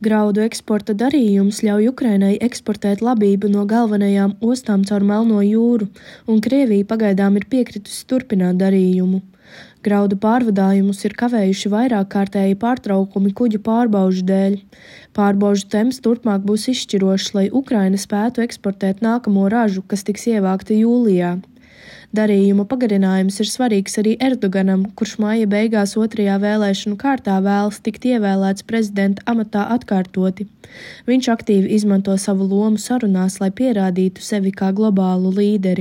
Graudu eksporta darījums ļauj Ukrainai eksportēt labību no galvenajām ostām caur Melno jūru, un Krievija pagaidām ir piekritusi turpināt darījumu. Graudu pārvadājumus ir kavējuši vairāk kārtēji pārtraukumi kuģu pārbaužu dēļ. Pārbaužu temps turpmāk būs izšķirošs, lai Ukraina spētu eksportēt nākamo ražu, kas tiks ievākta jūlijā. Darījuma pagarinājums ir svarīgs arī Erdoganam, kurš māja beigās otrajā vēlēšanu kārtā vēlas tikt ievēlēts prezidenta amatā atkārtoti. Viņš aktīvi izmanto savu lomu sarunās, lai pierādītu sevi kā globālu līderi.